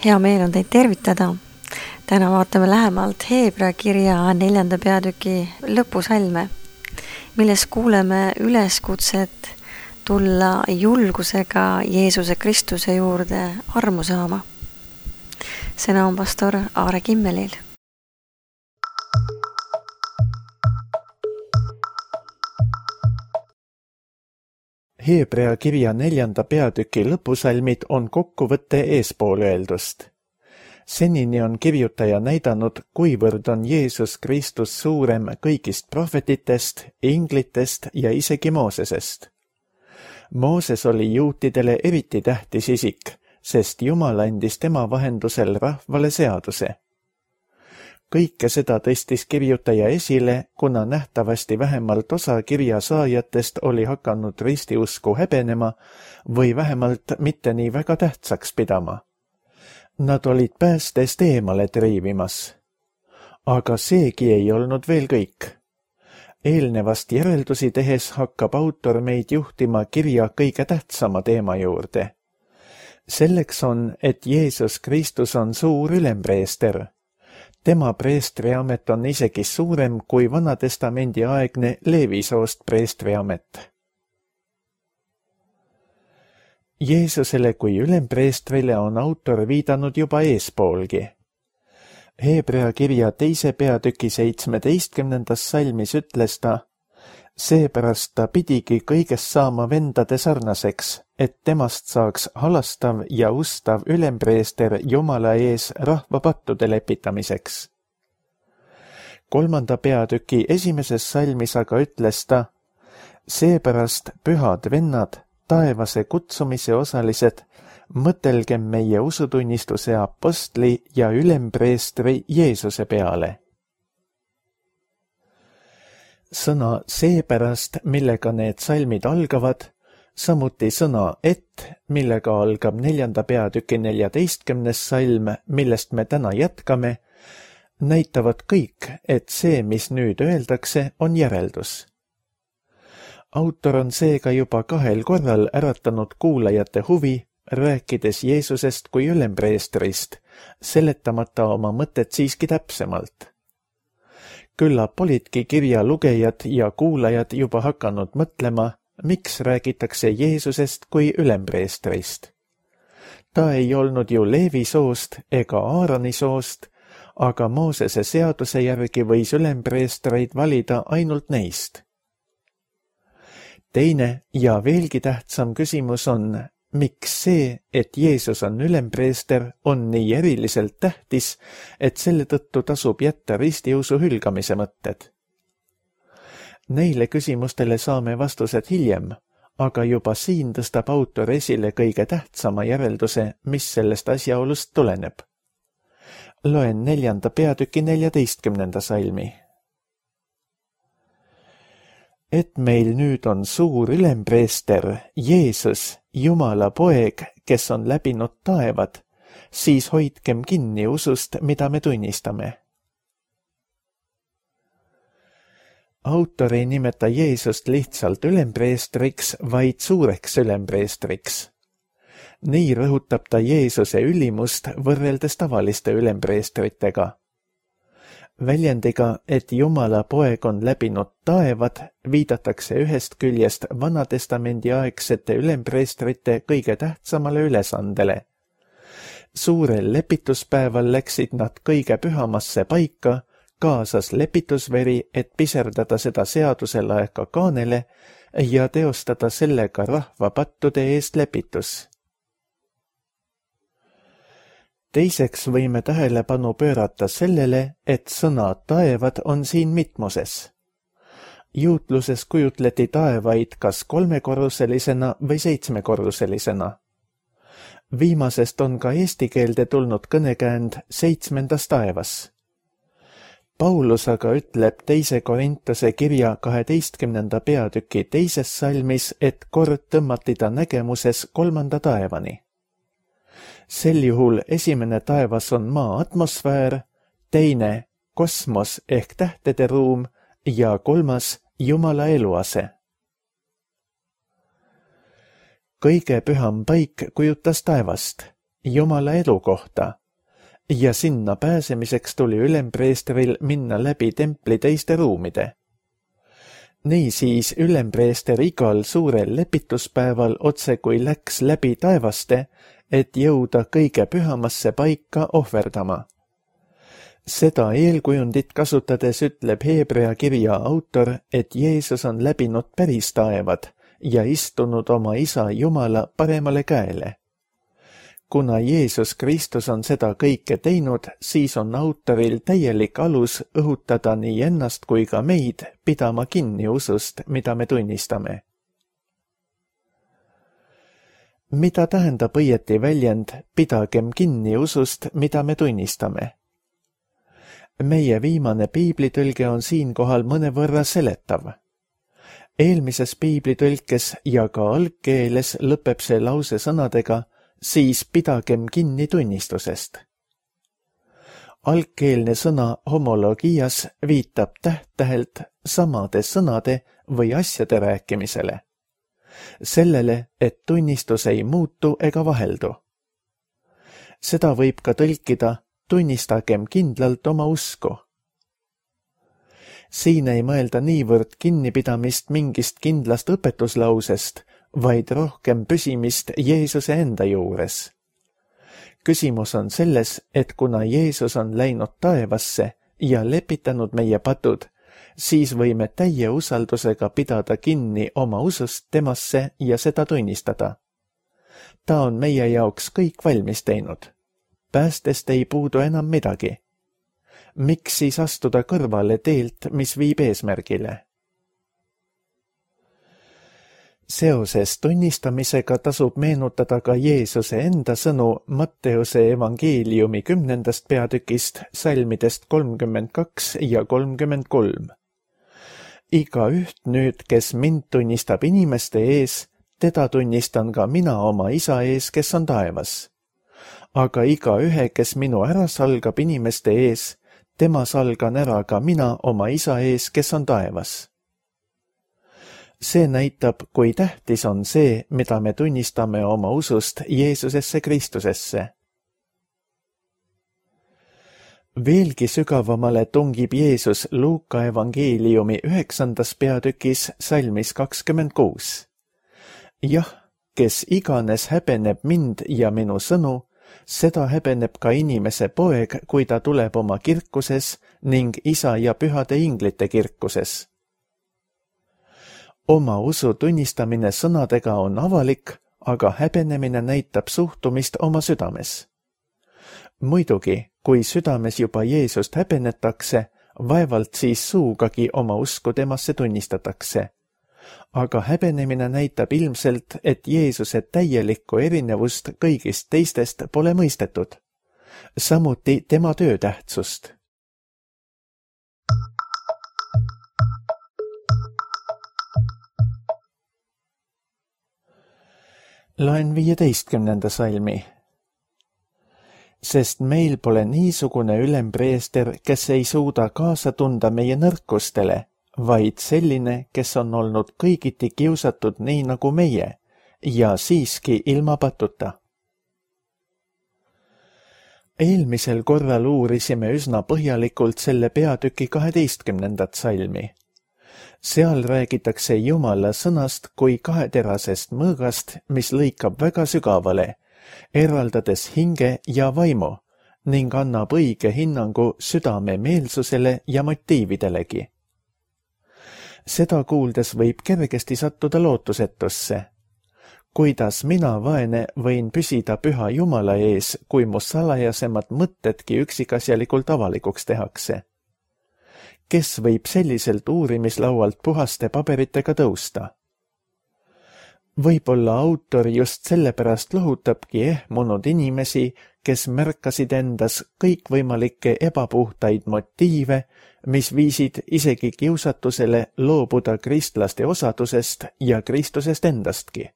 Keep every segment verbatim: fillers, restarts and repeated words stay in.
Hea meel on teid tervitada. Täna vaatame lähemalt Heebrea kirja neljanda peatüki lõpusalme, milles kuuleme üleskutset tulla julgusega Jeesuse Kristuse juurde armu saama. Sõna on pastor Aare Kimmelil. Heebrea kirja neljanda peatüki lõpusalmid on kokkuvõtte eespool öeldust. Senini on kirjutaja näidanud, kuivõrd on Jeesus Kristus suurem kõigist prohvetitest, inglitest ja isegi Moosesest. Mooses oli juutidele eriti tähtis isik, sest Jumal andis tema vahendusel rahvale seaduse. Kõike seda tõstis kirjutaja esile, kuna nähtavasti vähemalt osa kirja saajatest oli hakanud ristiusku häbenema või vähemalt mitte nii väga tähtsaks pidama. Nad olid päästest eemale triivimas. Aga seegi ei olnud veel kõik. Eelnevast järeldusi tehes hakkab autor meid juhtima kirja kõige tähtsama teema juurde. Selleks on, et Jeesus Kristus on suur ülempreester. Tema preestriamet on isegi suurem kui Vanatestamendi aegne Leevisoost preestriamet. Jeesusele kui ülempreestrile on autor viidanud juba eespoolgi. Heebrea kirja teise peatüki seitsmeteistkümnendas salmis ütles ta, seepärast ta pidigi kõigest saama vendade sarnaseks, et temast saaks halastav ja ustav ülempreester Jumala ees rahva pattude lepitamiseks. Kolmanda peatüki esimeses salmis aga ütles ta, seepärast pühad vennad, taevase kutsumise osalised, mõtelgem meie usutunnistuse apostli ja ülempreestri Jeesuse peale. Sõna seepärast, millega need salmid algavad, samuti sõna et, millega algab neljanda peatüki neljateistkümnes salm, millest me täna jätkame, näitavad kõik, et see, mis nüüd öeldakse, on järeldus. Autor on seega juba kahel korral äratanud kuulajate huvi, rääkides Jeesusest kui ülempreestrist, seletamata oma mõtet siiski täpsemalt. Küllap olidki kirja lugejad ja kuulajad juba hakanud mõtlema, miks räägitakse Jeesusest kui ülempreestrist. Ta ei olnud ju Leevi soost ega Aaroni soost, aga Moosese seaduse järgi võis ülempreestreid valida ainult neist. Teine ja veelgi tähtsam küsimus on, miks see, et Jeesus on ülempreester, on nii eriliselt tähtis, et selle tõttu tasub jätta ristiusu hülgamise mõtted. Neile küsimustele saame vastused hiljem, aga juba siin tõstab autor esile kõige tähtsama järelduse, mis sellest asjaolust tuleneb. Loen neljanda peatüki neljateistkümnenda salmi. Et meil nüüd on suur ülempreester, Jeesus, Jumala poeg, kes on läbinud taevad, siis hoidkem kinni usust, mida me tunnistame. Autor ei nimeta Jeesust lihtsalt ülempreestriks, vaid suureks ülempreestriks. Nii rõhutab ta Jeesuse ülimust võrreldes tavaliste ülempreestritega. Väljendiga, et Jumala poeg on läbinud taevad, viidatakse ühest küljest Vanatestamendi aegsete ülempreestrite kõige tähtsamale ülesandele. Suurel lepituspäeval läksid nad kõige pühamasse paika, kaasas lepitusveri, et piserdada seda seaduse laeka kaanele ja teostada sellega rahva pattude eest lepitus. Teiseks võime tähelepanu pöörata sellele, et sõna taevad on siin mitmuses. Juutluses kujutleti taevaid kas kolmekorruselisena või seitsmekorruselisena. Viimasest on ka eesti keelde tulnud kõnekäänd seitsmendas taevas. Paulus aga ütleb teise Korintuse kirja kaheteistkümnenda peatüki teises salmis, et kord tõmmati ta nägemuses kolmanda taevani. Sel juhul esimene taevas on maa atmosfäär, teine kosmos ehk tähtede ruum ja kolmas Jumala eluase. Kõige püham paik kujutas taevast Jumala elukohta ja sinna pääsemiseks tuli ülempreestril minna läbi templi teiste ruumide. Niisiis ülempreester igal suurel lepituspäeval otse kui läks läbi taevaste, et jõuda kõige pühamasse paika ohverdama. Seda eelkujundit kasutades ütleb Hebrea kirja autor, et Jeesus on läbinud päris taevad ja istunud oma isa Jumala paremale käele. Kuna Jeesus Kristus on seda kõike teinud, siis on autoril täielik alus õhutada nii ennast kui ka meid pidama kinni usust, mida me tunnistame. Mida tähendab õieti väljend pidagem kinni usust, mida me tunnistame? Meie viimane piiblitõlge on siinkohal mõnevõrra seletav. Eelmises piiblitõlkes ja ka algkeeles lõpeb see lause sõnadega siis pidagem kinni tunnistusest. Algkeelne sõna homologias viitab täht-tähelt samade sõnade või asjade rääkimisele. Sellele, et tunnistus ei muutu ega vaheldu. Seda võib ka tõlkida tunnistagem kindlalt oma usku. Siin ei mõelda niivõrd kinnipidamist mingist kindlast õpetuslausest, vaid rohkem püsimist Jeesuse enda juures. Küsimus on selles, et kuna Jeesus on läinud taevasse ja lepitanud meie patud, siis võime täie usaldusega pidada kinni oma usust temasse ja seda tunnistada. Ta on meie jaoks kõik valmis teinud. Päästest ei puudu enam midagi. Miks siis astuda kõrvale teelt, mis viib eesmärgile? Seoses tunnistamisega tasub meenutada ka Jeesuse enda sõnu Matteuse evangeeliumi kümnendast peatükist, salmidest kolmkümmend kaks ja kolmkümmend kolm. Iga üht nüüd, kes mind tunnistab inimeste ees, teda tunnistan ka mina oma isa ees, kes on taevas. Aga iga ühe, kes minu ära salgab inimeste ees, tema salgan ära ka mina oma isa ees, kes on taevas. See näitab, kui tähtis on see, mida me tunnistame oma usust Jeesusesse Kristusesse. Veelgi sügavamale tungib Jeesus Luuka evangeeliumi üheksandas peatükis salmis kakskümmend kuus. Jah, kes iganes häbeneb mind ja minu sõnu, seda häbeneb ka inimese poeg, kui ta tuleb oma kirkuses ning isa ja pühade inglite kirkuses. Oma usu tunnistamine sõnadega on avalik, aga häbenemine näitab suhtumist oma südames. Muidugi, kui südames juba Jeesust häbenetakse, vaevalt siis suugagi oma usku temasse tunnistatakse. Aga häbenemine näitab ilmselt, et Jeesuse täielikku erinevust kõigist teistest pole mõistetud. Samuti tema töö tähtsust. Loen viieteistkümnenda salmi. Sest meil pole niisugune ülempreester, kes ei suuda kaasa tunda meie nõrkustele, vaid selline, kes on olnud kõigiti kiusatud nii nagu meie ja siiski ilma patuta. Eelmisel korral uurisime üsna põhjalikult selle peatüki kaheteistkümnendat salmi. Seal räägitakse Jumala sõnast kui kaheterasest mõõgast, mis lõikab väga sügavale, eraldades hinge ja vaimu ning annab õige hinnangu südame meelsusele ja motiividelegi. Seda kuuldes võib kergesti sattuda lootusetusse. Kuidas mina, vaene, võin püsida püha Jumala ees, kui mu salajasemad mõtedki üksikasjalikult avalikuks tehakse? Kes võib selliselt uurimislaualt puhaste paberitega tõusta? Võib-olla autor just sellepärast lohutabki ehmunud inimesi, kes märkasid endas kõikvõimalikke ebapuhtaid motiive, mis viisid isegi kiusatusele loobuda kristlaste osadusest ja Kristusest endastki.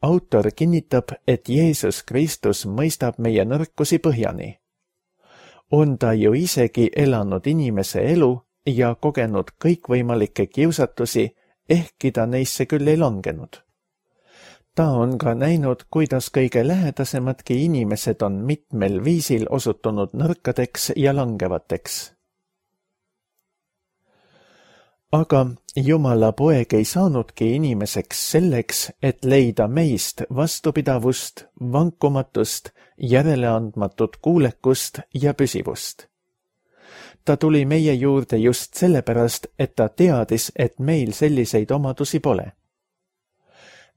Autor kinnitab, et Jeesus Kristus mõistab meie nõrkusi põhjani. On ta ju isegi elanud inimese elu ja kogenud kõikvõimalikke kiusatusi, ehkki ta neisse küll ei langenud. ta on ka näinud, kuidas kõige lähedasemadki inimesed on mitmel viisil osutunud nõrkadeks ja langevateks. Aga Jumala poeg ei saanudki inimeseks selleks, et leida meist vastupidavust, vankumatust, järeleandmatut kuulekust ja püsivust. Ta tuli meie juurde just sellepärast, et ta teadis, et meil selliseid omadusi pole.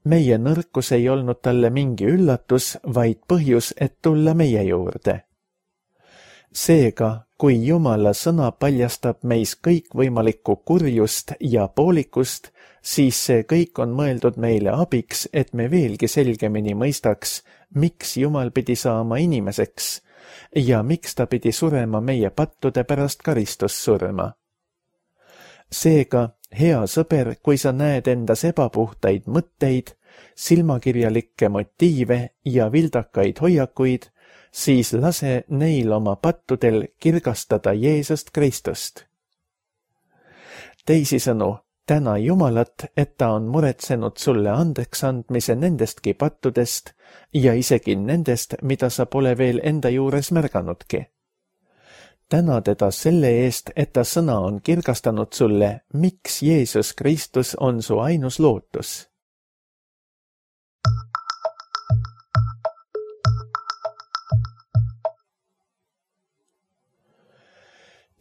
Meie nõrkus ei olnud talle mingi üllatus, vaid põhjus, et tulla meie juurde. Seega, kui Jumala sõna paljastab meis kõikvõimalikku kurjust ja poolikust, siis see kõik on mõeldud meile abiks, et me veelgi selgemini mõistaks, miks Jumal pidi saama inimeseks ja miks ta pidi surema meie pattude pärast karistussurma. Seega, hea sõber, kui sa näed endas ebapuhtaid mõtteid, silmakirjalikke motiive ja vildakaid hoiakuid, siis lase neil oma pattudel kirgastada Jeesust Kristust. Teisisõnu, täna Jumalat, et ta on muretsenud sulle andeks andmise nendestki pattudest ja isegi nendest, mida sa pole veel enda juures märganudki. Täna teda selle eest, et ta sõna on kirgastanud sulle, miks Jeesus Kristus on su ainus lootus.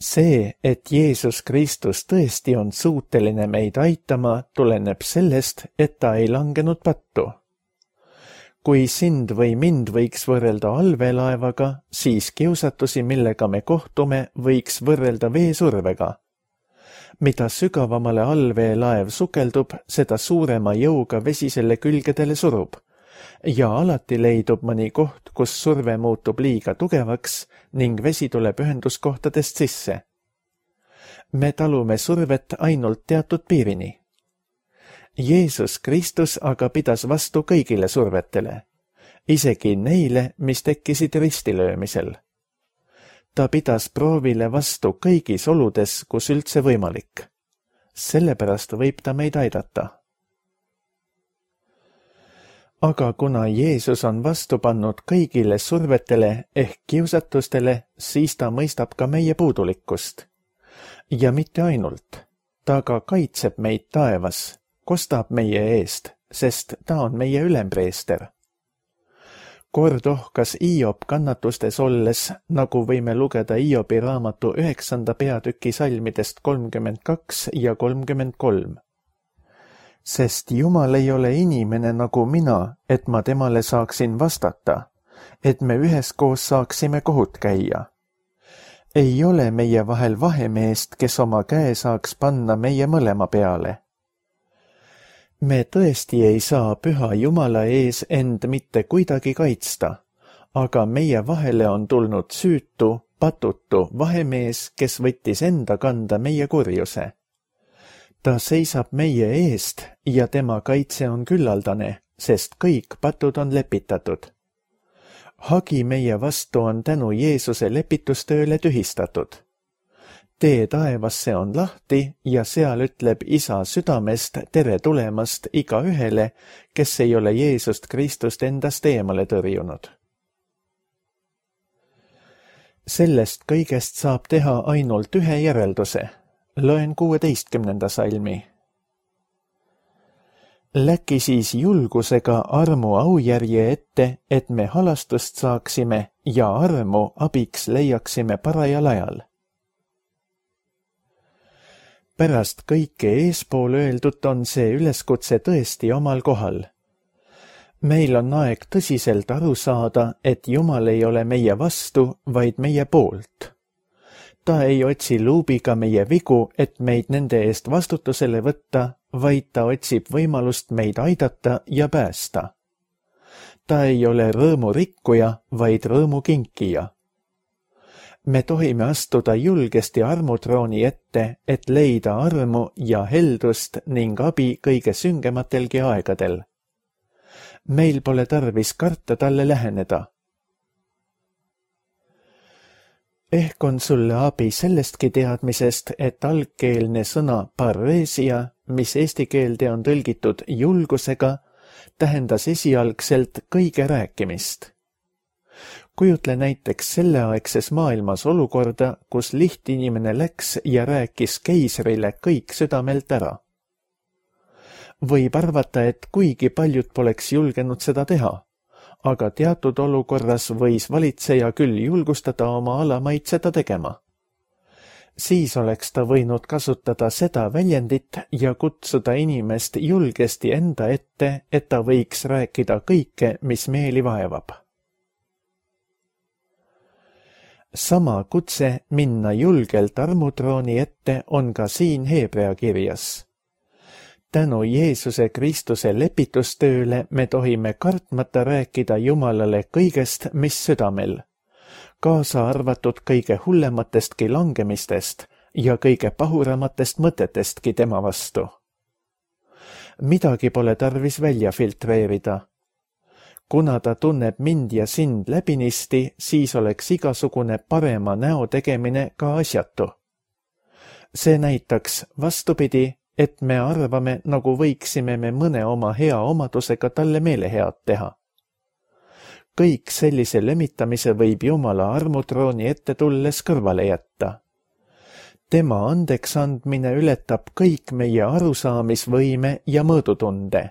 See, et Jeesus Kristus tõesti on suuteline meid aitama, tuleneb sellest, et ta ei langenud pattu. Kui sind või mind võiks võrrelda allveelaevaga, siis kiusatusi, millega me kohtume, võiks võrrelda veesurvega. Mida sügavamale allveelaev sukeldub, seda suurema jõuga vesi selle külgedele surub. Ja alati leidub mõni koht, kus surve muutub liiga tugevaks ning vesi tuleb ühenduskohtadest sisse. Me talume survet ainult teatud piirini. Jeesus Kristus aga pidas vastu kõigile survetele, isegi neile, mis tekkisid ristilöömisel. Ta pidas proovile vastu kõigis oludes, kus üldse võimalik. Sellepärast võib ta meid aidata. Aga kuna Jeesus on vastu pannud kõigile survetele ehk kiusatustele, siis ta mõistab ka meie puudulikkust. Ja mitte ainult, ta ka kaitseb meid taevas, kostab meie eest, sest ta on meie ülempreester. Kord ohkas Hiob kannatustes olles, nagu võime lugeda Hiobi raamatu üheksanda peatüki salmidest kolmkümmend kaks ja kolmkümmend kolm. Sest Jumal ei ole inimene nagu mina, et ma temale saaksin vastata, et me üheskoos saaksime kohut käia. Ei ole meie vahel vahemeest, kes oma käe saaks panna meie mõlema peale. Me tõesti ei saa püha Jumala ees end mitte kuidagi kaitsta, aga meie vahele on tulnud süütu, patutu vahemees, kes võttis enda kanda meie kurjuse. Ta seisab meie eest ja tema kaitse on küllaldane, sest kõik patud on lepitatud. Hagi meie vastu on tänu Jeesuse lepitustööle tühistatud. Tee taevasse on lahti ja seal ütleb Isa südamest tere tulemast iga ühele, kes ei ole Jeesust Kristust endast eemale tõrjunud. Sellest kõigest saab teha ainult ühe järelduse. Loen kuueteistkümnenda salmi. Läki siis julgusega armu aujärje ette, et me halastust saaksime ja armu abiks leiaksime parajal ajal. Pärast kõike eespool öeldut on see üleskutse tõesti omal kohal. Meil on aeg tõsiselt aru saada, et Jumal ei ole meie vastu, vaid meie poolt. Ta ei otsi luubiga meie vigu, et meid nende eest vastutusele võtta, vaid ta otsib võimalust meid aidata ja päästa. Ta ei ole rõõmu rikkuja, vaid rõõmu kinkija. Me tohime astuda julgesti armutrooni ette, et leida armu ja heldust ning abi kõige süngematelgi aegadel. Meil pole tarvis karta talle läheneda. Ehk on sulle abi sellestki teadmisest, et algkeelne sõna parresia, mis eesti keelde on tõlgitud julgusega, tähendas esialgselt kõige rääkimist. Kujutle näiteks selleaegses maailmas olukorda, kus lihtinimene läks ja rääkis keisrile kõik südamelt ära. Võib arvata, et kuigi paljud poleks julgenud seda teha, aga teatud olukorras võis valitseja küll julgustada oma alamaid seda tegema. Siis oleks ta võinud kasutada seda väljendit ja kutsuda inimest julgesti enda ette, et ta võiks rääkida kõike, mis meeli vaevab. Sama kutse minna julgelt armutrooni ette on ka siin Heebrea kirjas. Tänu Jeesuse Kristuse lepitustööle me tohime kartmata rääkida Jumalale kõigest, mis südamel, kaasa arvatud kõige hullematestki langemistest ja kõige pahuramatest mõtetestki tema vastu. Midagi pole tarvis välja filtreerida. Kuna ta tunneb mind ja sind läbinisti, siis oleks igasugune parema näo tegemine ka asjatu. See näitaks vastupidi, et me arvame, nagu võiksime me mõne oma hea omadusega talle meelehead teha. Kõik sellise lömitamise võib Jumala armutrooni ette tulles kõrvale jätta. Tema andeks andmine ületab kõik meie arusaamisvõime ja mõõdutunde.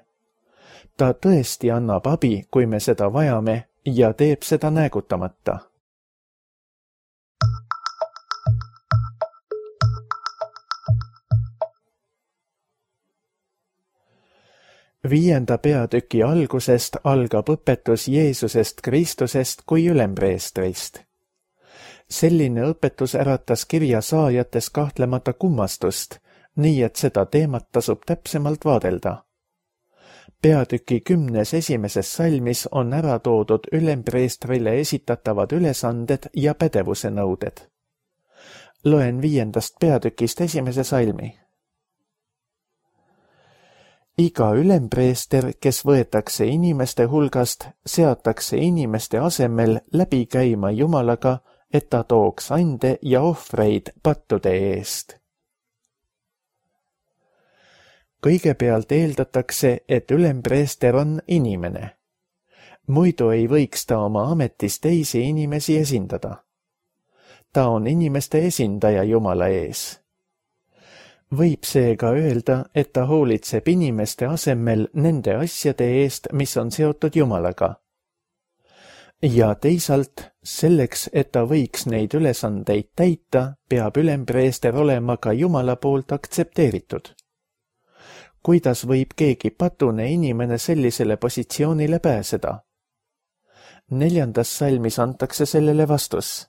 Ta tõesti annab abi, kui me seda vajame, ja teeb seda näägutamata. Viienda peatüki algusest algab õpetus Jeesusest Kristusest kui ülempreestrist. Selline õpetus äratas kirja saajates kahtlemata kummastust, nii et seda teemat tasub täpsemalt vaadelda. Peatüki kümnes esimeses salmis on ära toodud ülempreestrile esitatavad ülesanded ja pädevuse nõuded. Loen viiendast peatükist esimese salmi. Iga ülempreester, kes võetakse inimeste hulgast, seatakse inimeste asemel läbi käima Jumalaga, et ta tooks ande ja ohvreid pattude eest. Kõigepealt eeldatakse, et ülempreester on inimene. Muidu ei võiks ta oma ametis teisi inimesi esindada. Ta on inimeste esindaja Jumala ees. Võib seega öelda, et ta hoolitseb inimeste asemel nende asjade eest, mis on seotud Jumalaga. Ja teisalt, selleks, et ta võiks neid ülesandeid täita, peab ülempreester olema ka Jumala poolt aktsepteeritud. Kuidas võib keegi patune inimene sellisele positsioonile pääseda? Neljandas salmis antakse sellele vastus.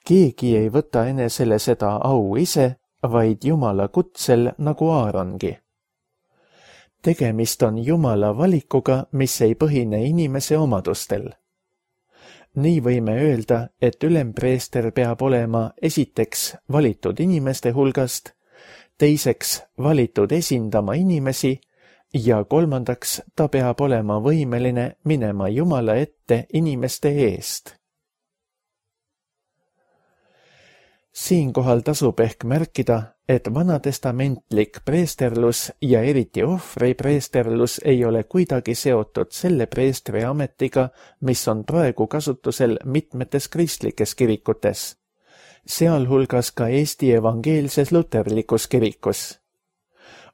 Keegi ei võta enesele seda au ise, vaid Jumala kutsel nagu Aarongi. Tegemist on Jumala valikuga, mis ei põhine inimese omadustel. Nii võime öelda, et ülempreester peab olema esiteks valitud inimeste hulgast, teiseks valitud esindama inimesi ja kolmandaks ta peab olema võimeline minema Jumala ette inimeste eest. Siinkohal tasub ehk märkida, et vanatestamentlik preesterlus ja eriti ohvri preesterlus ei ole kuidagi seotud selle preestri ametiga, mis on praegu kasutusel mitmetes kristlikes kirikutes, sealhulgas ka Eesti evangeelses luterlikus kirikus.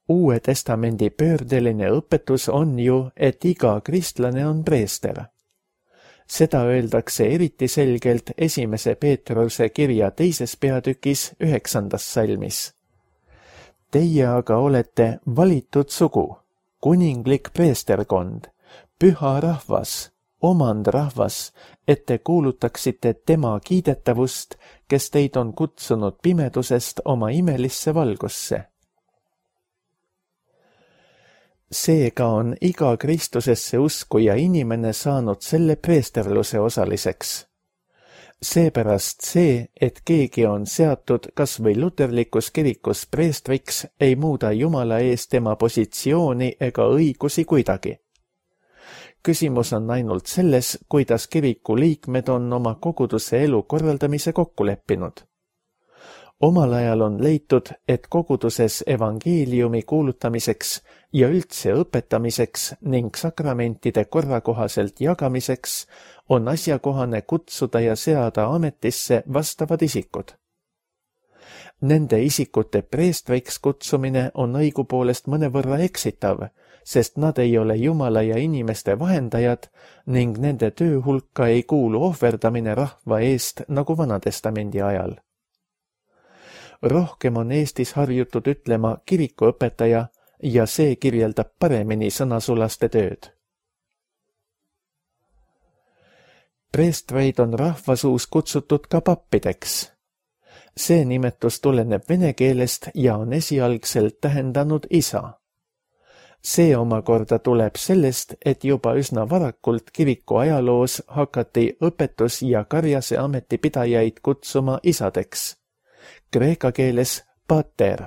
Uue testamendi pöördeline õpetus on ju, et iga kristlane on preester. Seda öeldakse eriti selgelt esimese Peetruse kirja teises peatükis üheksandas salmis. Teie aga olete valitud sugu, kuninglik preesterkond, püha rahvas, omandrahvas, et te kuulutaksite tema kiidetavust, kes teid on kutsunud pimedusest oma imelisse valgusse. Seega on iga Kristusesse uskuja inimene saanud selle preesterluse osaliseks. Seepärast see, et keegi on seatud kas või luterlikus kirikus preestriks, ei muuda Jumala ees tema positsiooni ega õigusi kuidagi. Küsimus on ainult selles, kuidas kiriku liikmed on oma koguduse elu korraldamise kokku leppinud. Omal ajal on leitud, et koguduses evangeeliumi kuulutamiseks ja üldse õpetamiseks ning sakramentide korrakohaselt jagamiseks on asjakohane kutsuda ja seada ametisse vastavad isikud. Nende isikute preestriks kutsumine on õigupoolest mõnevõrra eksitav, sest nad ei ole Jumala ja inimeste vahendajad ning nende töö hulka ei kuulu ohverdamine rahva eest nagu Vanatestamendi ajal. Rohkem on Eestis harjutud ütlema kirikuõpetaja ja see kirjeldab paremini sõnasulaste tööd. Preestreid on rahvasuus kutsutud ka pappideks. See nimetus tuleneb vene keelest ja on esialgselt tähendanud isa. See omakorda tuleb sellest, et juba üsna varakult kiriku ajaloos hakati õpetus- ja karjase ametipidajaid kutsuma isadeks. Kreeka keeles pater.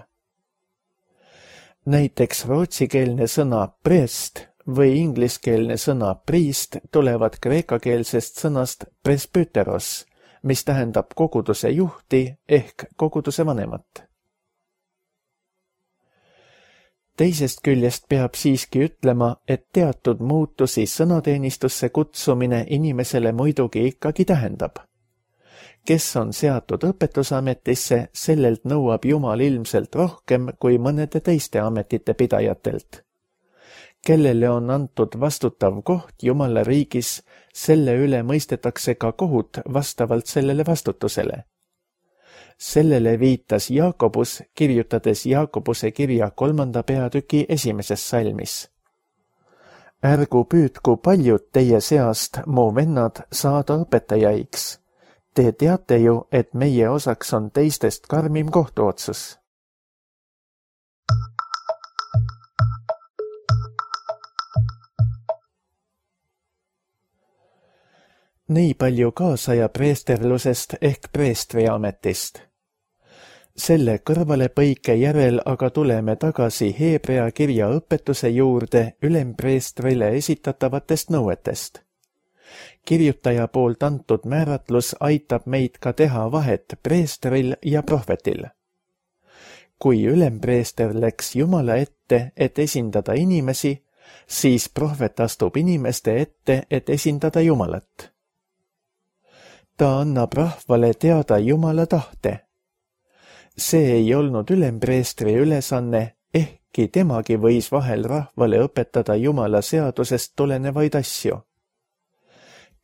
Näiteks rootsikeelne sõna prest või ingliskeelne sõna priist tulevad kreekakeelsest sõnast presbyteros, mis tähendab koguduse juhti ehk koguduse vanemat. Teisest küljest peab siiski ütlema, et teatud muutusi sõnateenistusse kutsumine inimesele muidugi ikkagi tähendab. Kes on seatud õpetusametisse, sellelt nõuab Jumal ilmselt rohkem kui mõnede teiste ametite pidajatelt. Kellele on antud vastutav koht Jumala riigis, selle üle mõistetakse ka kohut vastavalt sellele vastutusele. Sellele viitas Jaakobus, kirjutades Jaakobuse kirja kolmanda peatüki esimeses salmis. Ärgu püüdku paljud teie seast, mu vennad, saada õpetajaiks. Te teate ju, et meie osaks on teistest karmim kohtuotsus. Nii palju kaasaja preesterlusest ehk preestriametist. Selle kõrvalepõike järel aga tuleme tagasi Heebrea kirja õpetuse juurde ülempreestrile esitatavatest nõuetest. Kirjutaja poolt antud määratlus aitab meid ka teha vahet preestril ja prohvetil. Kui ülempreester läks Jumala ette, et esindada inimesi, siis prohvet astub inimeste ette, et esindada Jumalat. Ta annab rahvale teada Jumala tahte. See ei olnud ülempreestri ülesanne, ehkki temagi võis vahel rahvale õpetada Jumala seadusest tulenevaid asju.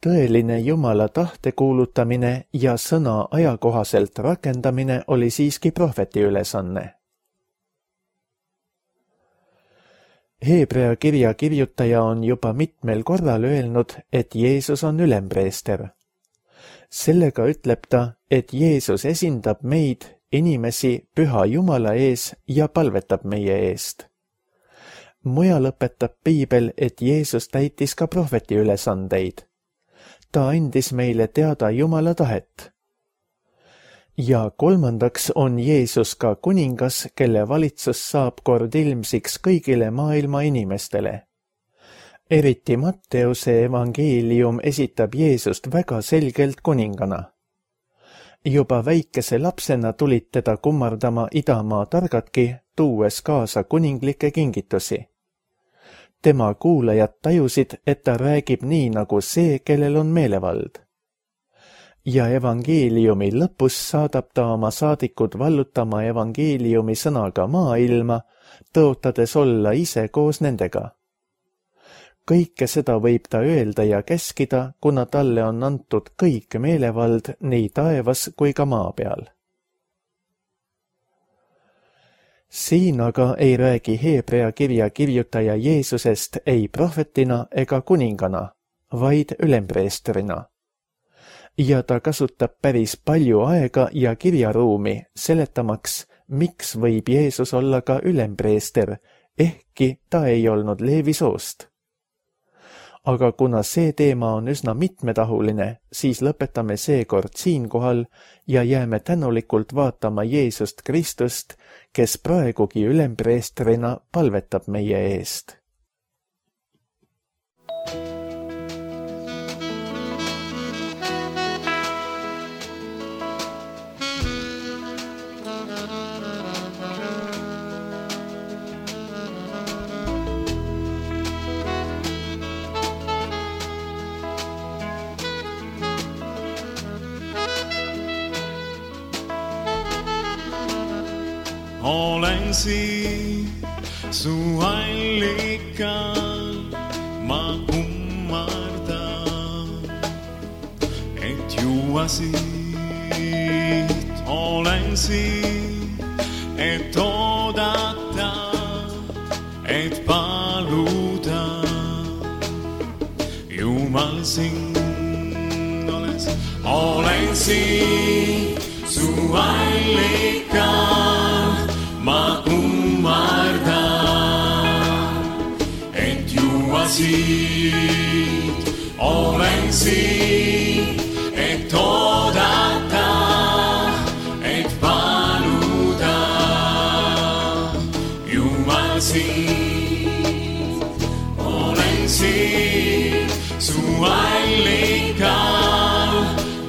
Tõeline Jumala tahte kuulutamine ja sõna ajakohaselt rakendamine oli siiski prohveti ülesanne. Heebrea kirja kirjutaja on juba mitmel korral öelnud, et Jeesus on ülempreester. Sellega ütleb ta, et Jeesus esindab meid, inimesi, püha Jumala ees ja palvetab meie eest. Mujal õpetab Piibel, et Jeesus täitis ka prohveti ülesandeid. Ta andis meile teada Jumala tahet. Ja kolmandaks on Jeesus ka kuningas, kelle valitsus saab kord ilmsiks kõigile maailma inimestele. Eriti Matteuse evangeelium esitab Jeesust väga selgelt kuningana. Juba väikese lapsena tulid teda kummardama idamaa targadki, tuues kaasa kuninglikke kingitusi. Tema kuulajad tajusid, et ta räägib nii nagu see, kellel on meelevald. Ja evangeeliumi lõpus saadab ta oma saadikud vallutama evangeeliumi sõnaga maailma, tõotades olla ise koos nendega. Kõike seda võib ta öelda ja käskida, kuna talle on antud kõik meelevald nii taevas kui ka maa peal. Siin aga ei räägi Heebrea kirja kirjutaja Jeesusest ei prohvetina ega kuningana, vaid ülempreestrina. Ja ta kasutab päris palju aega ja kirjaruumi seletamaks, miks võib Jeesus olla ka ülempreester, ehkki ta ei olnud Leevi soost. Aga kuna see teema on üsna mitmetahuline, siis lõpetame seekord siinkohal ja jääme tänulikult vaatama Jeesust Kristust, kes praegugi ülempreestrina palvetab meie eest. olen siin su allikal, ma kummardan, et juua siit. Olen siin, et oodata, et paluda. Jumal sind oles, olen siin su allikal, ma kummardan, et juua siit. Olen siin, et oodata, et paluda. Jumal sind, olen siin su allikal,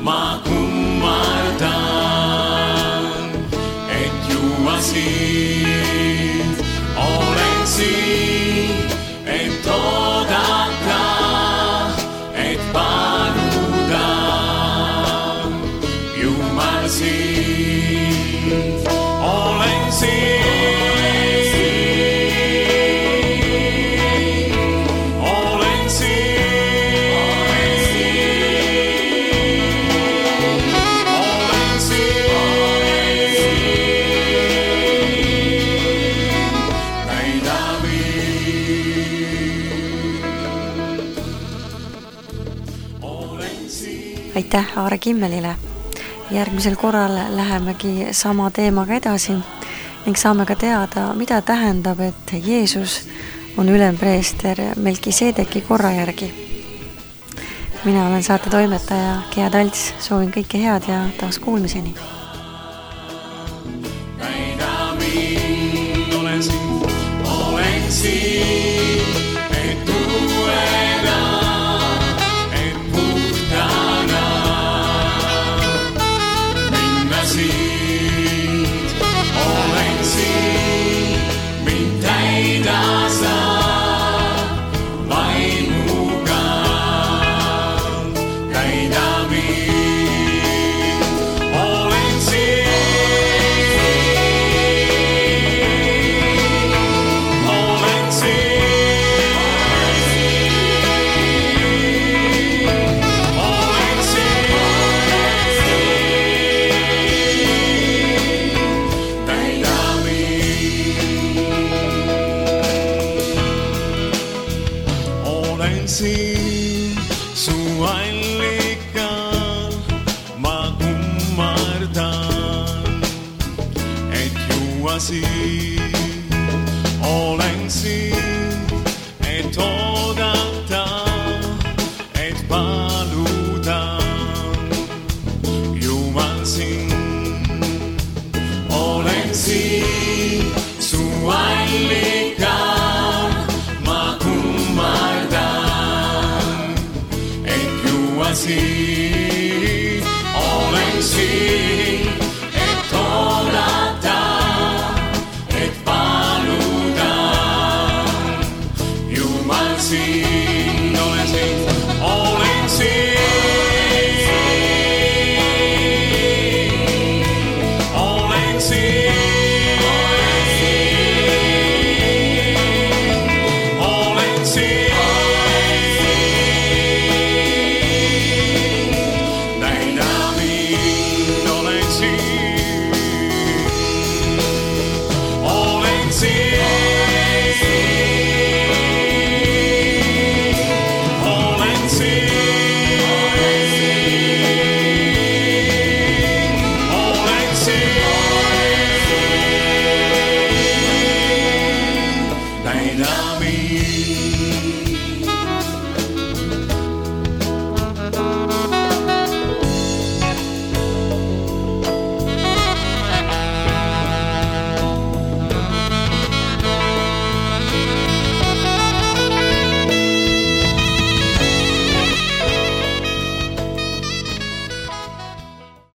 ma kummardan, et juua siit. Olen siin, et oodata, et paluda. Jumal sind, olen siin. Aitäh Aare Kimmelile. Järgmisel korral lähemegi sama teemaga edasi ning saame ka teada, mida tähendab, et Jeesus on ülempreester Melkiseedeki korra järgi. Mina olen saate toimetaja Gea Talts, soovin kõike head ja taas kuulmiseni. Olen siin, olen siin, et uuena, et puhtana minna siit. Olen siin, mind täida sa vaimuga, täida mind. Olen siin, siin su allikal, ma kummardan, et juua siit. Olen siin, et oodata, et paluda. Jumal sind, olen siin.